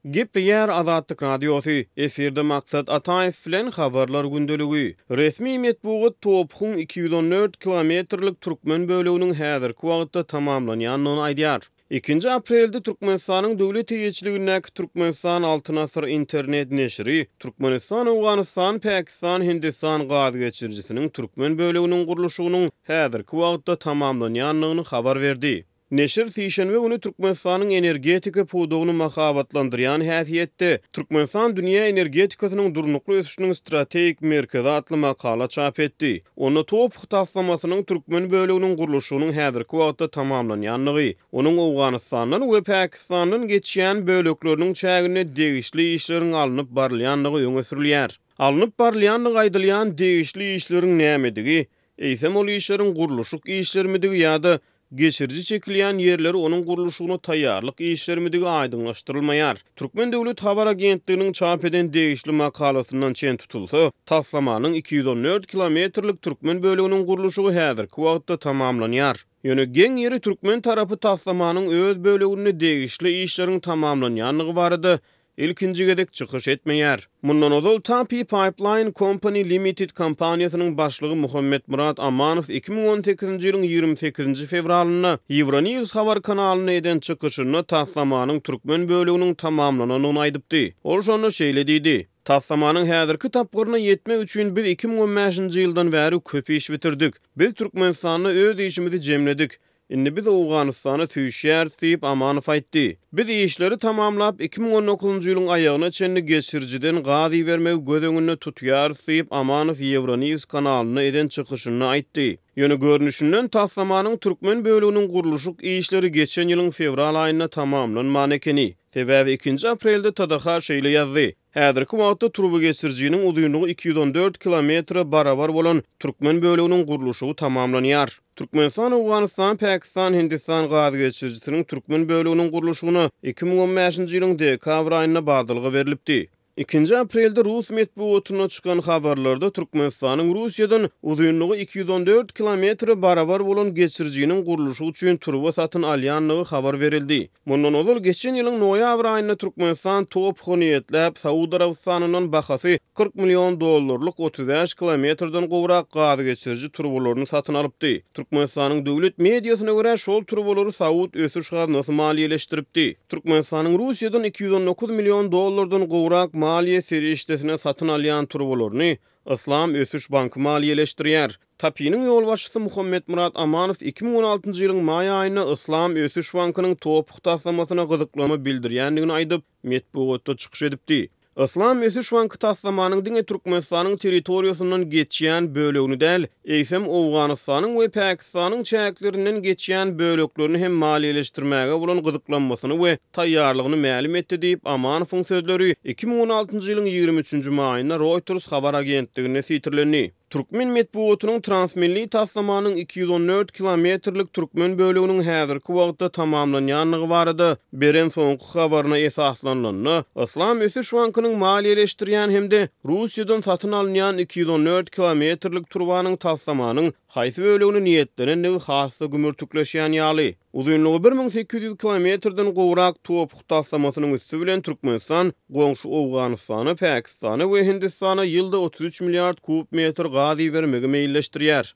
Gepleýär Azatlyk Radiosy, efirde Maksat Ataýew bilen Habarlar gündeligi. Resmi metbugat TOPH-yň 214 kilometrlik türkmen böleginiň häzirki wagtda tamamlanýandygyny aýdýar. Ikinji aprelde Türkmenistanyň döwlet eýeçiligindäki Türkmenistan Altyn Asyr internet neşiri Türkmenistan, Owganystan, Pakistan, Hindistan gaz geçirijisiniň türkmen böleginiň gurluşygynyň häzirki wagtda tamamlanýandygyny habar berdi. Neşir sişenbe güni Türkmenistanyň energetika pudagyny mahabatlandyrýan häsiýetde Türkmenistan dünýä energetikasynyň durnukly ösüşiniň strategik merkezi atly makala çap etdi. Onda TOPH taslamasynyň türkmen böleginiň gurluşygynyň häzirki wagtda tamamlanýandygy, onuň Owganystandan we Pakistandan geçýän bölekleriniň çäginde degişli işleriň alnyp barylýandygy öňe sürülýär. Alnyp barylýandygy aýdylýan degişli işleriň nämedigi, Eýsem ol işleriň gurluşyk işlerimidigi ýa-da geçiriji çekilýän ýerleri onuň gurluşygyna taýýarlyk işlerimidigi aýdyňlaşdyrylmaýar. Türkmen döwlet habar agentliginiň çap eden degişli makalasyndan çen tutulsa, taslamanyň 214 kilometrlik türkmen böleginiň gurluşygy häzirki wagtda tamamlanýar. Ýöne geň ýeri türkmen tarapy taslamanyň öz böleginde degişli işleriň tamamlanýandygy barada ilkinji gezek çykyş etmeýär. Mundan ozal Tapi Pipeline Company Limited kompaniýasynyň başlygy Muhammetmyrat Amanow 2018-nji ýylyň 28-nji fewralynda Euronews habar kanalynda eden çykyşynda taslamanyň türkmen böleginiň tamamlanandygyny aýdypdy. Ol şonda şeýle diýdi, Taslamanyň häzirki tapgyryna ýetmek üçin biz 2015-nji ýyldan bäri köp iş bitirdik. Biz Türkmenistanda öz işimizi jemledik. Indi biz Owganystana süýşýäris diýip, Amanow aýtdy. Biz işleri tamamlap, 2019-njy ýylyň aýagyna çenli geçirijiden gaz ibermegi göz öňünde tutýarys diýip, Amanow Euronews kanalynda eden çykyşynda aýtdy. Ýöne görnüşinden, taslamanyň türkmen böleginiň gurluşyk işleri geçen ýylyň fewral aýynda tamamlanman ekeni. Sebäbi ikinji aprelde TDH şeýle ýazdy, Häzirki wagtda turbageçirijiniň uzynlygy 214 kilometre barabar bolan türkmen böleginiň gurluşygy tamamlanýar. Türkmenistan, Owganystan, Pakistan, Hindistan gaz geçirijisiniň türkmen böleginiň gurluşygyna 2015-nji ýylyň dekabr aýynda badalga berlipdi. Ikinji aprelde rus metbugatynda çykan habarlarda Türkmenistanyň Russiýadan uzynlygy 214 kilometre barabar bolan geçirijiniň gurluşygy üçin turba satyn alýandygy habar berildi. Mundan ozal, geçen ýylyň noýabr aýynda Türkmenistan TOPH-a niýetläp, Saud Arabystanyndan bahasy 40 million dollarlyk 35 kilometrden gowrak gazgeçiriji turbalaryny satyn alypdy. Türkmenistanyň döwlet mediasyna görä, şol turbalary Saud ösüş gaznasy maliýeleşdiripdi. Türkmenistanyň Russiýadan 219 million dollardan gowrak maliýe serişdesine satyn alýan turbalaryny Yslam ösüş banky maliýeleşdirýär. TAPI-niň ýolbaşçysy Muhammetmyrat Amanow 2016-njy ýylyň maý aýynda Yslam ösüş bankynyň TOPH taslamasyna gyzyklanma bildirýändigini aýdyp, metbugatda çykyş edipdi. Yslam ösüş banky taslamanyň diňe Türkmenistanyň territoriýasyndan geçýän bölegini däl, eýsem, Owganystanyň we Pakistanyň çäklerinden geçýän böleklerini hem maliýeleşdirmäge bolan gyzyklanmasyny we taýýarlygyny mälim etdi diýip, Amanowyň sözleri 2016-njy ýylyň 23-nji maýynda Reuters habar agentliginde sitirlendi. Türkmen metbugatynyň transmilli taslamanyň 214 kilometrlik türkmen böleginiň häzirki wagtda tamamlanýandygy barada beren soňky habaryna esaslanylanda, Yslam ösüş bankynyň maliýeleşdirýän hem-de Russiýadan satyn alynýan 214 kilometrlik turbanyň taslamanyň haýsy bölegine niýetlenendigi has-da gümürtikleşýän ýaly. Uzynlygy 1800 kilometrden gowrak TOPH taslamasynyň üsti bilen Türkmenistan goňşy Owganystana, Pakistana we Hindistana ýylda 33 milliard kub metr gaz ibermegi meýilleşdirýär.